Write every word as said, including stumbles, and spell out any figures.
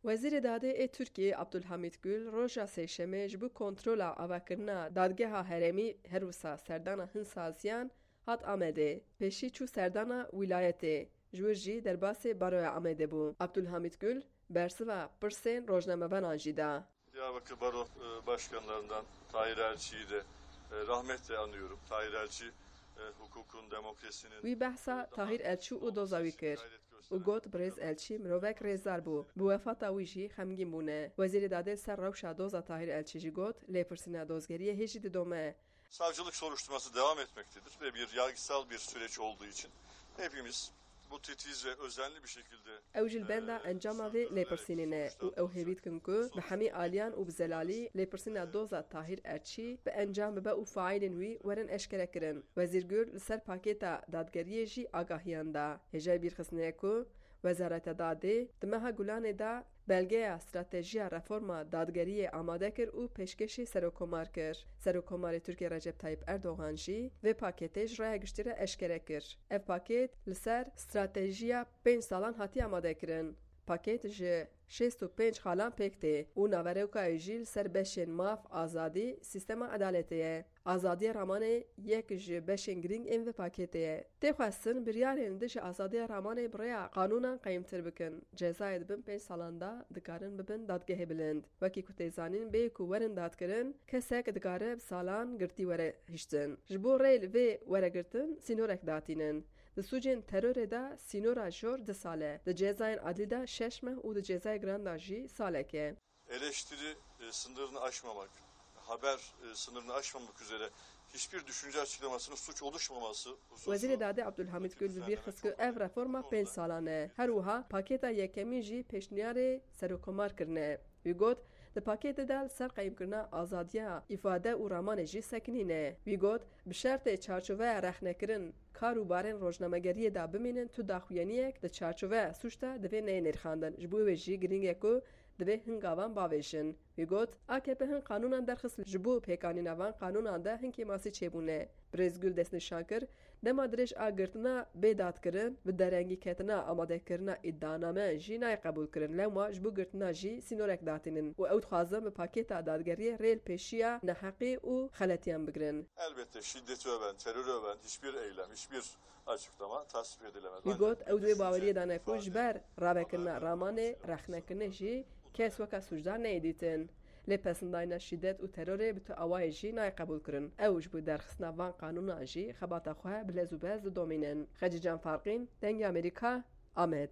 Wezîrê Dadê ê Tirkiyê Abdulhamîd Gul roja Sêşemê ji bo kontrola avakirina Dadgeha Herêmî her wisa serdana hin saziyan hat Amedê. Pêşî çû serdana wîlayetê, ji wir jî derbasê Baroya Amedê bû. Abdulhamîd Gul bersiva pirsên rojnamevanan jî da. Diyarbakır Baro e, Başkanlarından Tahir Elçi'yi de e, rahmetle anıyorum. Tahir Elçi e, hukukun, demokrasinin Wî behsa Tahir Elçî û doza wî kir û got, Birêz Elçî mirovek rêzdar bû. Bi wefata wî jî xemgîn bûne. Wezîrê Dadê li ser rewşa doza Tahir Elçî jî got, lêpirsîna dozgeriyê hê jî didome. Savcılık soruşturması devam etmektedir ve bir yargısal bir süreç olduğu için hepimiz bu titiz ve özenli bir şekilde Ew jî li benda encama vê lêpirsînê ne û ew hêvî dikin ku bi hemî aliyan û bi zelalî lêpirsîna doza Tahîr Erçî bi encam bibe û faîlên wî werin eşkerekirin. Wezîr Gul li ser pakêta dadgeriyê jî agahiyan da. Hêjayî bîrxistinê ye ku Wezareta Dadê di meha Gulanê de belgeya stratejiya reforma dadgeriyê amade kir û pêşkêşî Serokkomar kir. Serokkomarê Tirkiyê Recep Tayyip Erdogan jî vê pakêtê ji raya giştî re eşkere kir. Ev pakêt li ser stratejiya pênc salan hatiye amadekirin. Pakêt ji şêst û pênc xalan pêk tê û naverokayê jî li ser beşên maf, azadî, sîstema edaletê ye. Azadiya ramanê yek ji beşên girîng ên vê pakêtê ye. Tê xwestin biryarên li dijî azadiya ramanê bi rêya qanûnan qeyimtir bikin. Cezayê di bin pênc salan de dikarin bibin dadgehê bilind. Wekî ku tê zanîn, bê ku werin dadkirin, kesek dikare bi salan girtî were hiştin. Ji bo rê li vê were girtin, sînorek datînin. Di sûcên terorê de sînora jor du sal e, di cezayên adlî de şeş meh û di cezayê giran de jî salek e. Eleştiri e, sınırını aşmamak, haber e, sınırını aşmamak üzere hiçbir düşünce açıklamasının suç oluşmaması hususunu Wezîrê Dadê Abdulhamid Gül bi bîr xist ku ev reforma pênc salan e. Her wiha pakêta yekemîn jî pêşniyarê Serokkomar kirine. Wî got, di pakêtê de li ser qeyimkirina azadiya îfade û ramanê jî sekinî ne. Wî got, bi şertê çarçoveya rexnekirin kar û barên rojnamegeriyê de bimînin, tu daxuyaniyek di çarçoveya sûc de divê neyê nirxandin. Ji bo wê jî girîng e ku divê hin gavan bavêjin. Wî got, A K P hin qanûnan derxist ji bo pêkanîna van qanûnan de hin kêmasî çêbûne. Birêz Gul destnîşan kir, dema dirêj a girtina bê dadkirin, bi derengî ketina amadekirina îdianameyan jî nayê qebûlkirin. Lewma ji bo girtina jî sînorek datînin û ew dixwazin bi pakêta dadgeriyê rê li pêşiya neheqî û xeletiyan bigirin. Elbette şiddeti öven, terörü öven hiçbir eylem, hiçbir açıklama tasvip edilemez. Wî got, ew di wê baweriyê de ne ku ji ber ravekirina ramanê, rexnekirinê jî kes weke sûcdar neyê dîtin. Lê pesindayîna şîdet û terorê bi tu awayê jî nayê qebûlkirin. Ew ji bo derxistina van qanûnan jî xebata xwe bi lez û bez didomînin. Xecîcan Farqîn, Dengê Amerîka, Amed.